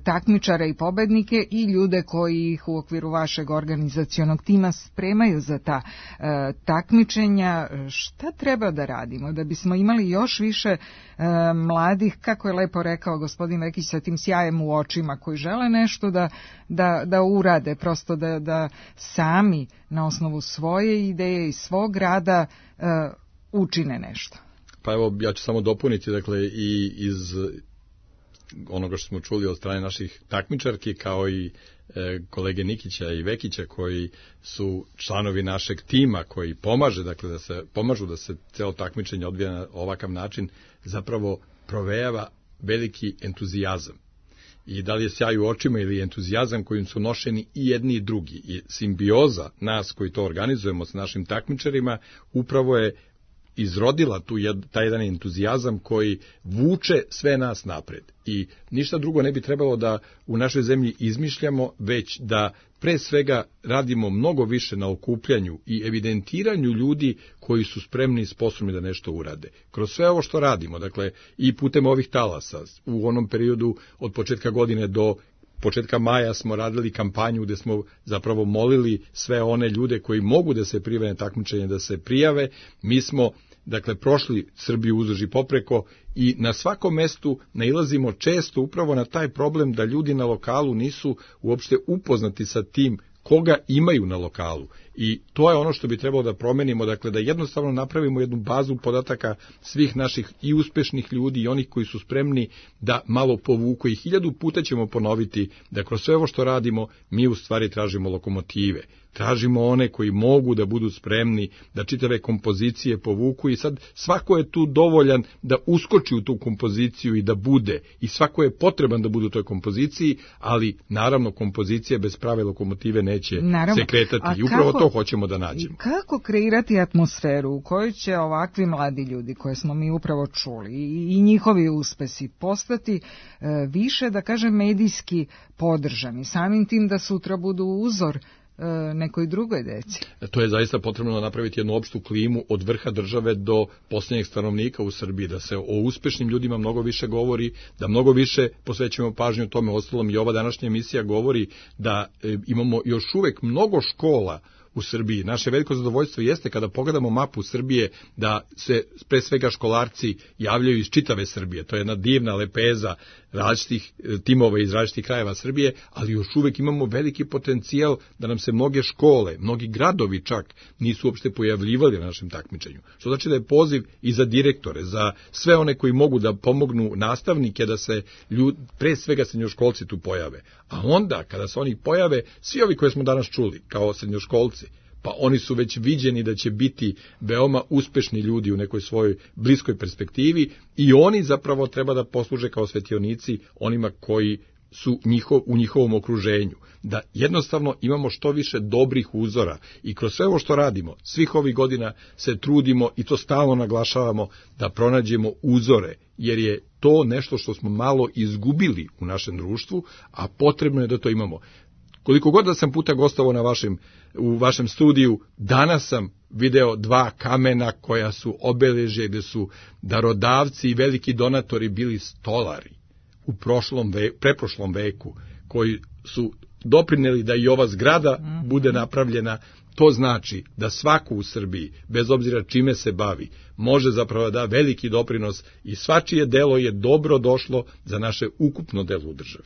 takmičare i pobednike i ljude koji ih u okviru vašeg organizacionog tima spremaju za ta takmičenja. Šta treba da radimo da bismo imali još više mladih, kako je lepo rekao gospodin Vekić, sa tim sjajem u očima, koji žele nešto da urade, prosto da sami na osnovu svoje ideje i svog rada učine nešto? Pa evo, ja ću samo dopuniti, dakle, i iz onoga što smo čuli od strane naših takmičarki, kao i kolege Nikića i Vekića, koji su članovi našeg tima, koji pomažu da se celo takmičenje odvija na ovakav način, zapravo provejava veliki entuzijazam. I da li je sjaj u očima ili entuzijazam kojim su nošeni i jedni i drugi. I simbioza nas koji to organizujemo s našim takmičarima upravo je izrodila taj jedan entuzijazam koji vuče sve nas napred. I ništa drugo ne bi trebalo da u našoj zemlji izmišljamo, već da pre svega radimo mnogo više na okupljanju i evidentiranju ljudi koji su spremni i sposobni da nešto urade. Kroz sve ovo što radimo, dakle i putem ovih talasa, u onom periodu od početka godine do početka maja smo radili kampanju gde smo zapravo molili sve one ljude koji mogu da se prijave na takmičenje da se prijave. Mi smo prošli Srbiju uzduž i popreko i na svakom mestu nailazimo često upravo na taj problem da ljudi na lokalu nisu uopšte upoznati sa tim koga imaju na lokalu. I to je ono što bi trebalo da promenimo, da jednostavno napravimo jednu bazu podataka svih naših i uspešnih ljudi i onih koji su spremni da malo povuku i 1000 puta ćemo ponoviti da kroz sve ovo što radimo mi u stvari tražimo lokomotive. Tražimo one koji mogu da budu spremni da čitave kompozicije povuku i sad svako je tu dovoljan da uskoči u tu kompoziciju i da bude i svako je potreban da bude u toj kompoziciji, ali naravno kompozicija bez prave lokomotive neće se kretati i upravo to hoćemo da nađemo. Kako kreirati atmosferu u kojoj će ovakvi mladi ljudi koje smo mi upravo čuli i njihovi uspesi postati više, da kažem, medijski podržani, samim tim da sutra budu uzor nekoj drugoj deci? To je zaista potrebno napraviti jednu opštu klimu od vrha države do posljednjeg stanovnika u Srbiji, da se o uspešnim ljudima mnogo više govori, da mnogo više posvećujemo pažnju tome. Ostalom i ova današnja emisija govori da imamo još uvek mnogo škola u Srbiji. Naše veliko zadovoljstvo jeste kada pogledamo mapu Srbije da se pre svega školarci javljaju iz čitave Srbije. To je jedna divna lepeza različitih timova iz različitih krajeva Srbije, ali još uvek imamo veliki potencijal da nam se mnoge škole, mnogi gradovi čak nisu uopšte pojavljivali na našem takmičenju. Što znači da je poziv i za direktore, za sve one koji mogu da pomognu nastavnike da se pre svega srednjoškolci tu pojave. A onda kada se oni pojave, svi ovi koje smo danas čuli kao srednjoškolci, pa oni su već viđeni da će biti veoma uspešni ljudi u nekoj svojoj bliskoj perspektivi i oni zapravo treba da posluže kao svetionici onima koji su u njihovom okruženju. Da jednostavno imamo što više dobrih uzora i kroz sve ovo što radimo, svih ovih godina se trudimo i to stalno naglašavamo da pronađemo uzore, jer je to nešto što smo malo izgubili u našem društvu, a potrebno je da to imamo. Koliko god da sam puta gostovao u vašem studiju, danas sam video 2 kamena koja su obeležje gde su darodavci i veliki donatori bili stolari u preprošlom veku, koji su doprineli da i ova zgrada bude napravljena. To znači da svako u Srbiji, bez obzira čime se bavi, može zapravo da veliki doprinos i svačije delo je dobro došlo za naše ukupno delo u državi.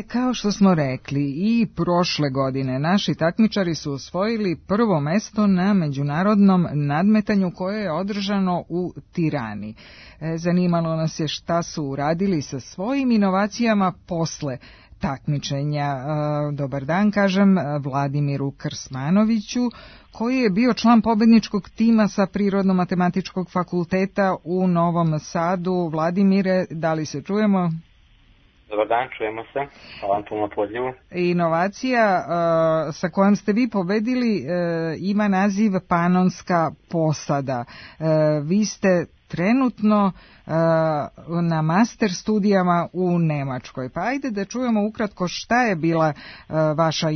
Kao što smo rekli, i prošle godine naši takmičari su osvojili prvo mesto na međunarodnom nadmetanju koje je održano u Tirani. Zanimalo nas je šta su uradili sa svojim inovacijama posle takmičenja. Dobar dan, kažem Vladimiru Krsmanoviću, koji je bio član pobedničkog tima sa Prirodno-matematičkog fakulteta u Novom Sadu. Vladimire, da li se čujemo? Dobar dan, čujemo se. Hvala vam puno na pozivu. Inovacija sa kojom ste vi pobedili ima naziv Panonska posada. Vi ste trenutno na master studijama u Nemačkoj. Pa ajde da čujemo ukratko šta je bila vaša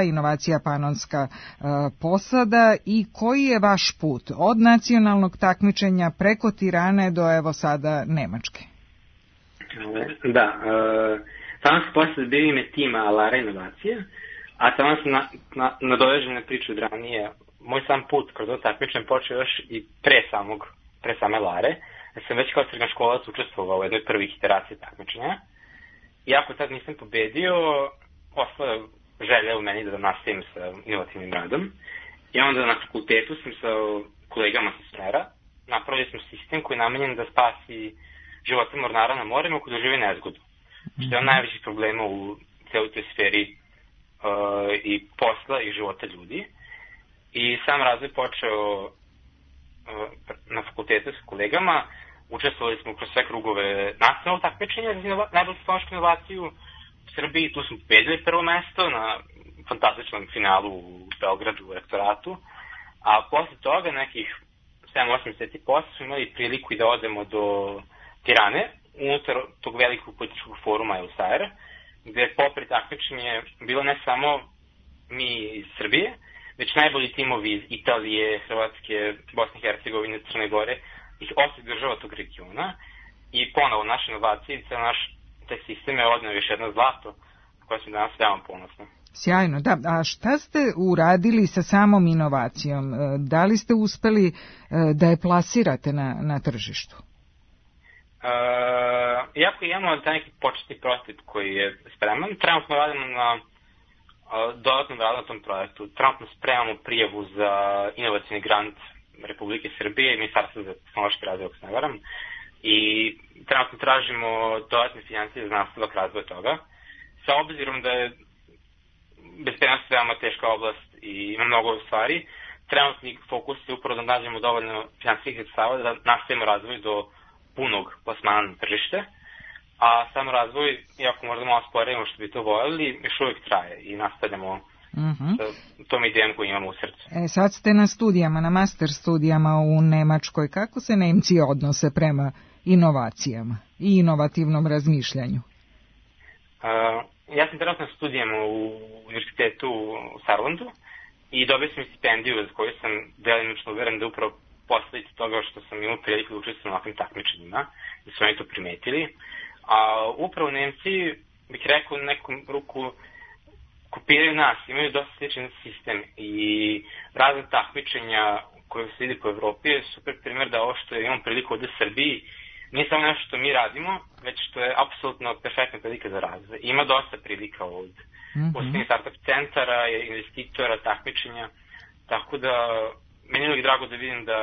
inovacija Panonska posada i koji je vaš put od nacionalnog takmičenja preko Tirane do evo sada Nemačke. Da, Panonska posada bio ime tima Alara inovacije, a tamo sam nadovežen na priču od ranije. Moj sam put kroz ovo takmičenje počeo još i pre same Lare. Ja sam već kao srednjoškolac učestvovao u jednoj prvih iteracija takmičenja. Iako tad nisam pobedio, ostala želja u meni da nastavim sa inovativnim radom. I onda na fakultetu sam sa kolegama sa smera napravili smo sistem koji je namenjen da spasi života mornara na morima koji dožive nezgodu. Što je najvećih problema u celoj toj sferi i posla i života ljudi. I sam razvoj počeo na fakultetu s kolegama. Učestvovali smo kroz sve krugove nacionalnog takmičenja za najbolju tehnološku inovaciju u Srbiji. Tu smo pobedili prvo mesto na fantastičnom finalu u Beogradu u rektoratu. A posle toga nekih 7-8 meseci posle smo imali priliku i da odemo do Tirane, unutar tog velikog političkog foruma Eusaira, gde je popred takmičenje bilo ne samo mi iz Srbije, već najbolji timovi iz Italije, Hrvatske, Bosne i Hercegovine, Crne Gore, iz 8 država tog regiona. I ponovo naše inovacije i naš taj sistem je odneo još jedno zlato koje smo danas veoma ponosni. Sjajno, da. A šta ste uradili sa samom inovacijom? Da li ste uspeli da je plasirate na tržištu? Iako imamo taj neki početni prototip koji je spreman, trenutno radimo na dodatnom radu na tom projektu. Trenutno spremamo prijavu za inovacijni grant Republike Srbije i Ministarstva za tehnološki razvoj, ako se ne varam, i trenutno tražimo dodatne financije za nastavak razvoja toga. Sa obzirom da je bezbednost veoma teška oblast i ima mnogo stvari, trenutni fokus je upravo da nađemo dovoljno finansijskih sredstava da nastavimo razvoj do punog plasmana na tržište, a sam razvoj, iako možda malo sporejimo što bi to voljeli, još uvijek traje i nastavljamo sa tom idejom koju imamo u srcu. Sad ste na studijama, na master studijama u Nemačkoj. Kako se Nemci odnose prema inovacijama i inovativnom razmišljanju? Ja sam trenutno na studijama u univerzitetu u Saarlandu i dobio sam stipendiju za koju sam delimično uveren da upravo posledica toga što sam imao priliku da učestvujem na ovakvim takmičenjima, da su oni to primetili. A upravo Nemci, bih rekao, u nekom ruku kopiraju nas, imaju dosta sličan sistem i razne takmičenja koje se vidi po Evropi je super primjer da ovo što imamo priliku ovdje u Srbiji nije samo nešto što mi radimo, već što je apsolutno perfektna prilika za razvoj. Ima dosta prilika od posebnih startup centara, investitora, takmičenja, tako da meni je uvijek drago da vidim da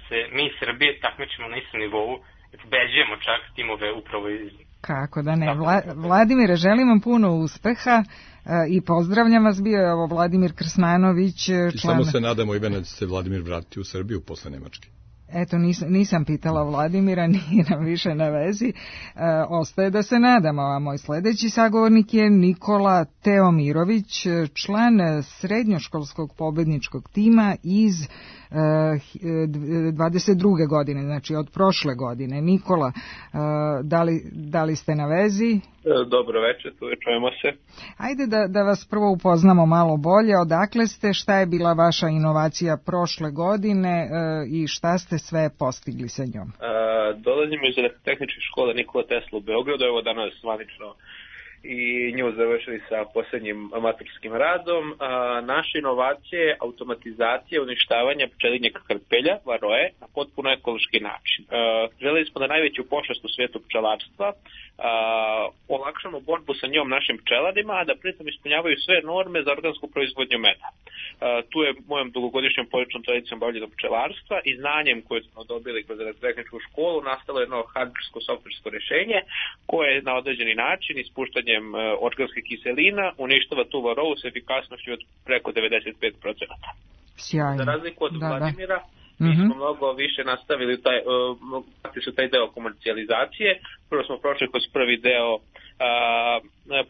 se mi iz Srbije takmičimo na istom nivou i pobeđujemo čak timove upravo iz... Kako da ne. Vladimire, želim vam puno uspeha i pozdravljam vas. Bio je ovo Vladimir Krsmanović. I samo se nadamo, Ivana, da se Vladimir vrati u Srbiju posle Nemačke. Eto, nisam pitala Vladimira, nije nam više na vezi. Ostaje da se nadamo, a moj sledeći sagovornik je Nikola Teomirović, član srednjoškolskog pobedničkog tima iz 22. godine, znači od prošle godine. Nikola, da li ste na vezi? Dobro večer, tu čujemo se. Ajde da vas prvo upoznamo malo bolje. Odakle ste, šta je bila vaša inovacija prošle godine i šta ste sve postigli sa njom? Dolazimo iz Elektrotehničke škole Nikola Tesla u Beogradu, evo danas zvanično i nju završili sa posljednjim maturskim radom. Naša inovacija je automatizacija uništavanja pčelinjeg krpelja, varoje, na potpuno ekološki način. Želeli smo da najveću pošast u svijetu pčelarstva olakšamo borbu sa njom našim pčelarima, a da pritom ispunjavaju sve norme za organsku proizvodnju meda. Tu je mojom dugogodišnjom porodičnom tradicijom bavljenog pčelarstva i znanjem koje smo dobili kroz Elektrotehničku školu nastalo jedno hardversko-softversko rješenje koje na određeni način ispuštanjem organskih kiselina uništava tu varovu s efikasnošću od preko 95%. Sjajno. Za razliku od Vladimira, mi smo mnogo više nastavili taj deo komercijalizacije. Prvo smo prošli kroz prvi deo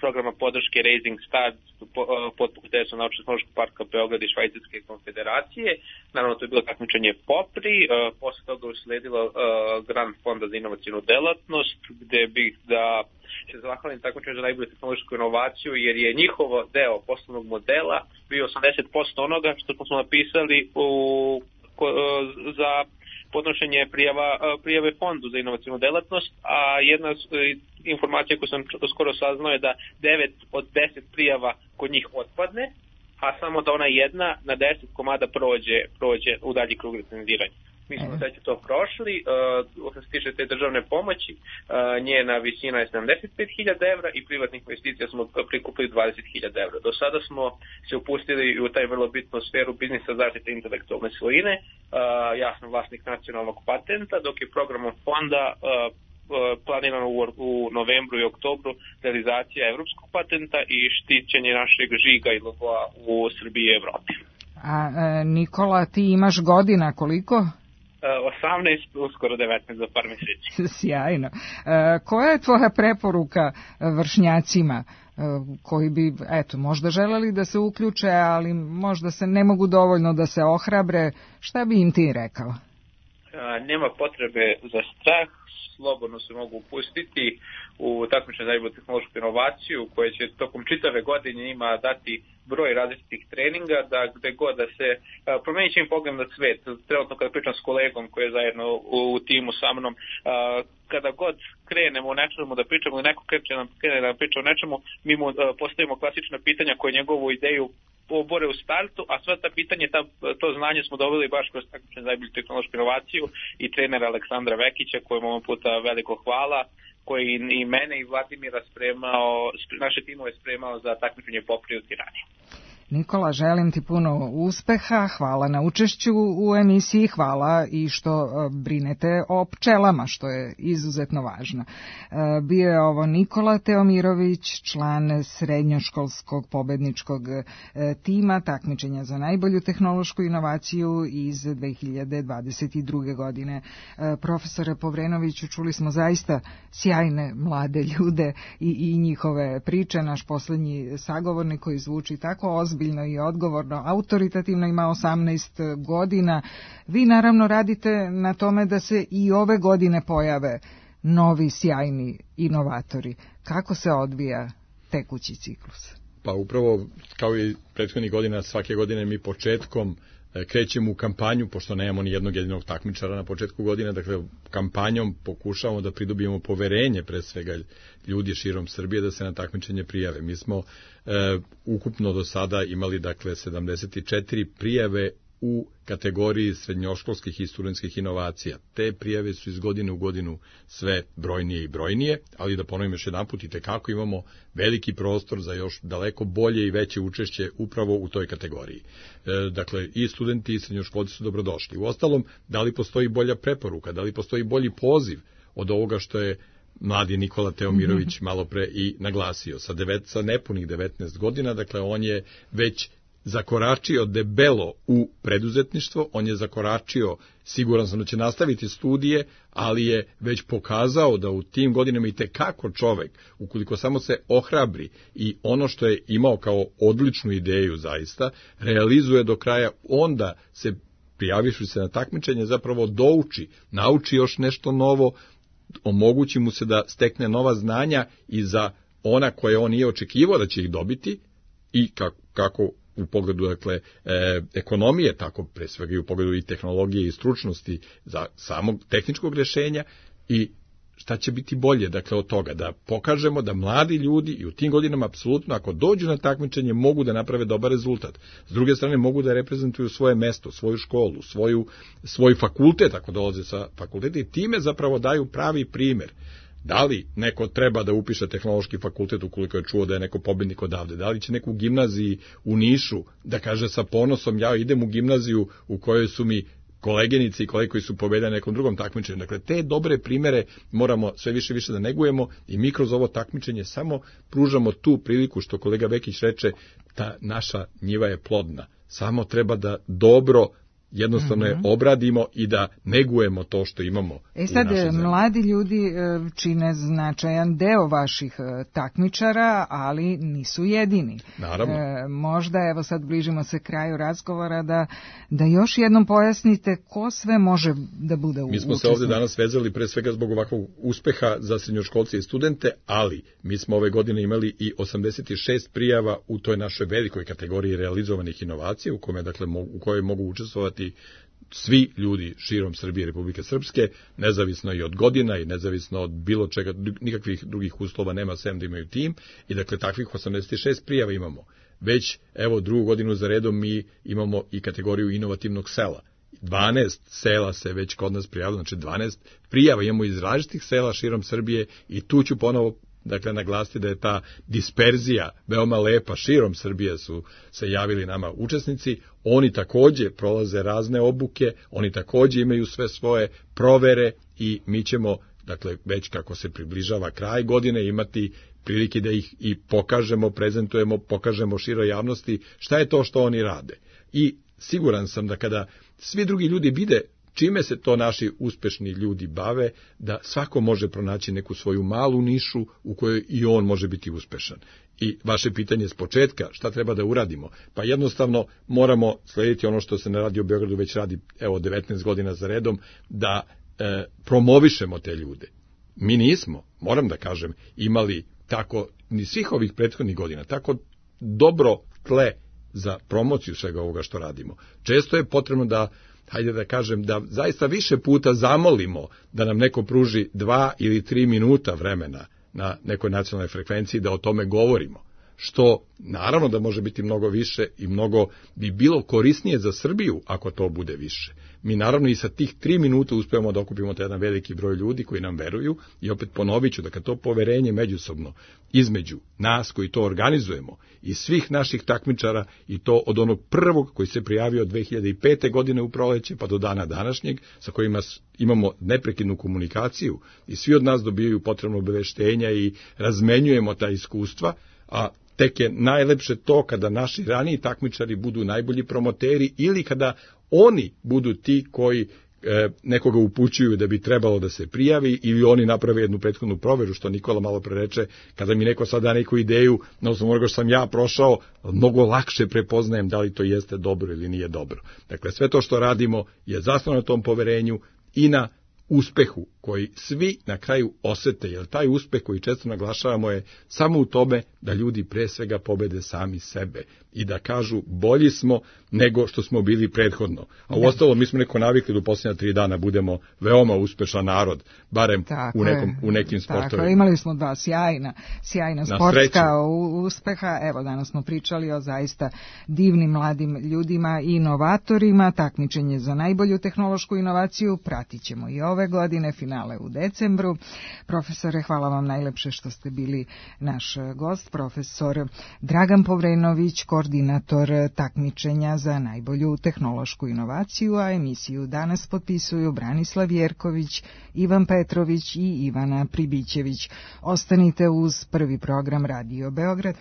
programa podrške Raising Stars pod pokroviteljstvom Naučno-tehnološkog parka Beograd i Švajcarske konfederacije. Naravno, to je bilo takmičenje POPRI, posle toga usledilo Grant fonda za inovacijnu delatnost, gde bih da se zahvalim takmičenju za najbolju tehnološku inovaciju, jer je njihovo deo poslovnog modela bio 80% onoga što smo napisali za podnošenje prijave fondu za inovacijnu delatnost, a jedna informacija koju sam skoro saznao je da 9 od 10 prijava kod njih otpadne, a samo da ona jedna na 10 komada prođe u dalji krug recenziranja. Mi smo sve to prošli, što se tiče te državne pomoći, njena visina je 75.000 evra i privatnih investicija smo prikupili 20.000 evra. Do sada smo se upustili u taj vrlo bitnu sferu biznisa zaštite intelektualne svojine. Ja sam vlasnik nacionalnog patenta, dok je programom fonda planirano u novembru i oktobru realizacija evropskog patenta i štićenje našeg žiga i logoa u Srbiji i Evropi. A Nikola, ti imaš godina koliko? 18, uskoro 19 za par mjeseci. Sjajno. Koja je tvoja preporuka vršnjacima koji bi, možda želeli da se uključe, ali možda se ne mogu dovoljno da se ohrabre, šta bi im ti rekao? Nema potrebe za strah, slobodno se mogu upustiti u takmičenje za najbolju tehnološku inovaciju koje će tokom čitave godine ima dati broj različitih treninga, da gde god da se promenit će im pogled na svet. Trenutno kada pričam s kolegom koji je zajedno u timu sa mnom, kada god krenemo o nečemu da pričamo ili neko krene da priča o nečemu, mi mu postavimo klasična pitanja koje njegovu ideju obore u startu, a sva ta pitanje, to znanje smo dobili baš kroz takmičenje za najbolju tehnološku inovaciju i trenera Aleksandra Vekića, kojemu ovom puta veliko hvala, koji i mene i Vladimira naše timove spremao za takmičenje Poprije u Tirani. Nikola, želim ti puno uspeha, hvala na učešću u emisiji, hvala i što brinete o pčelama, što je izuzetno važno. Bio je ovo Nikola Teomirović, član srednjoškolskog pobedničkog tima takmičenja za najbolju tehnološku inovaciju iz 2022. godine. Profesore Povrenoviću, čuli smo zaista sjajne mlade ljude i njihove priče. Naš poslednji sagovornik koji zvuči tako ozbiljno i odgovorno, autoritativno, ima 18 godina. Vi naravno radite na tome da se i ove godine pojave novi sjajni inovatori. Kako se odvija tekući ciklus? Pa upravo kao i prethodnih godina, svake godine mi početkom krećemo u kampanju, pošto nemamo ni jednog jedinog takmičara na početku godine, dakle kampanjom pokušavamo da pridobijemo poverenje pre svega ljudi širom Srbije da se na takmičenje prijave. Mi smo ukupno do sada imali dakle 74 prijave u kategoriji srednjoškolskih i studentskih inovacija. Te prijave su iz godine u godinu sve brojnije i brojnije, ali da ponovim još jedanput, i tekako imamo veliki prostor za još daleko bolje i veće učešće upravo u toj kategoriji. Dakle, i studenti i srednjoškolci su dobrodošli. Uostalom, da li postoji bolja preporuka, da li postoji bolji poziv od ovoga što je mladi Nikola Teomirović malo pre i naglasio. Sa nepunih 19 godina, dakle, on je već zakoračio debelo u preduzetništvo, on je zakoračio, siguran sam da će nastaviti studije, ali je već pokazao da u tim godinama i tekako čovek, ukoliko samo se ohrabri i ono što je imao kao odličnu ideju zaista, realizuje do kraja, onda se, prijavivši se na takmičenje, zapravo douči, nauči još nešto novo, omogući mu se da stekne nova znanja i za ona koje on nije očekivao da će ih dobiti i kako u pogledu dakle ekonomije, tako pre svega i u pogledu i tehnologije i stručnosti za samog tehničkog rješenja. I šta će biti bolje dakle od toga, da pokažemo da mladi ljudi i u tim godinama apsolutno ako dođu na takmičenje mogu da naprave dobar rezultat. S druge strane mogu da reprezentuju svoje mesto, svoju školu, svoj fakultet ako dolaze sa fakulteta i time zapravo daju pravi primjer. Da li neko treba da upiše tehnološki fakultet ukoliko je čuo da je neko pobednik odavde? Da li će neko u gimnaziji u Nišu da kaže sa ponosom ja idem u gimnaziju u kojoj su mi kolegenici i kolege koji su pobedili na nekom drugom takmičenju? Dakle, te dobre primere moramo sve više da negujemo i mi kroz ovo takmičenje samo pružamo tu priliku što kolega Vekić reče, ta naša njiva je plodna. Samo treba da dobro jednostavno je obradimo i da negujemo to što imamo. Sad, mladi ljudi čine značajan deo vaših takmičara, ali nisu jedini. Naravno. Možda, evo sad bližimo se kraju razgovora, da još jednom pojasnite ko sve može da bude učesnik. Mi smo se ovdje danas vezali pre svega zbog ovakvog uspeha za srednjoškolce i studente, ali mi smo ove godine imali i 86 prijava u toj našoj velikoj kategoriji realizovanih inovacija, u kojoj mogu učestvovati svi ljudi širom Srbije i Republike Srpske, nezavisno i od godina i nezavisno od bilo čega, nikakvih drugih uslova nema sem da imaju tim i dakle takvih 86 prijava imamo. Već evo drugu godinu za redom mi imamo i kategoriju inovativnog sela. 12 sela se već kod nas prijavilo, znači 12 prijava imamo iz različitih sela širom Srbije i tu ću ponovo naglasiti da je ta disperzija veoma lepa, širom Srbije su se javili nama učesnici, oni takođe prolaze razne obuke, oni takođe imaju sve svoje provere i mi ćemo, dakle, već kako se približava kraj godine imati prilike da ih i pokažemo, prezentujemo, pokažemo široj javnosti šta je to što oni rade. I siguran sam da kada svi drugi ljudi vide čime se to naši uspešni ljudi bave, da svako može pronaći neku svoju malu nišu u kojoj i on može biti uspešan. I vaše pitanje s početka, šta treba da uradimo? Pa jednostavno moramo slediti ono što se na Radio Beogradu već radi 19 godina za redom, da promovišemo te ljude. Mi nismo, moram da kažem, imali tako, ni svih ovih prethodnih godina, tako dobro tle za promociju svega ovoga što radimo. Često je potrebno da, hajde da kažem, da zaista više puta zamolimo da nam neko pruži 2 ili 3 minuta vremena na nekoj nacionalnoj frekvenciji da o tome govorimo, što naravno da može biti mnogo više i mnogo bi bilo korisnije za Srbiju ako to bude više. Mi naravno i sa tih 3 minuta uspevamo da okupimo taj jedan veliki broj ljudi koji nam veruju i opet ponovit ću da kad to poverenje međusobno između nas koji to organizujemo i svih naših takmičara i to od onog prvog koji se prijavio 2005. godine u proleće pa do dana današnjeg sa kojima imamo neprekidnu komunikaciju i svi od nas dobijaju potrebno obaveštenja i razmenjujemo ta iskustva, a tek je najlepše to kada naši raniji takmičari budu najbolji promoteri ili kada oni budu ti koji nekoga upućuju da bi trebalo da se prijavi ili oni naprave jednu prethodnu proveru, što Nikola malo pre reče, kada mi neko sad da neku ideju, na osnovu onoga što sam ja prošao, mnogo lakše prepoznajem da li to jeste dobro ili nije dobro. Dakle, sve to što radimo je zasnovano na tom poverenju i na uspehu koji svi na kraju osete, jer taj uspeh koji često naglašavamo je samo u tome da ljudi pre svega pobede sami sebe i da kažu bolji smo nego što smo bili prethodno. A uostalom mi smo neko navikli da u posljednja 3 dana budemo veoma uspešan narod, barem u nekim sportovima. Tako, imali smo 2 sjajna sportska uspeha. Evo, danas smo pričali o zaista divnim mladim ljudima i inovatorima. Takmičenje za najbolju tehnološku inovaciju pratit ćemo i ove godine, finale u decembru. Profesore, hvala vam najlepše što ste bili naš gost. Profesor Dragan Povrenović, koordinator takmičenja za najbolju tehnološku inovaciju, a emisiju danas potpisuju Branislav Jerković, Ivan Petrović i Ivana Pribićević. Ostanite uz prvi program Radio Beograd.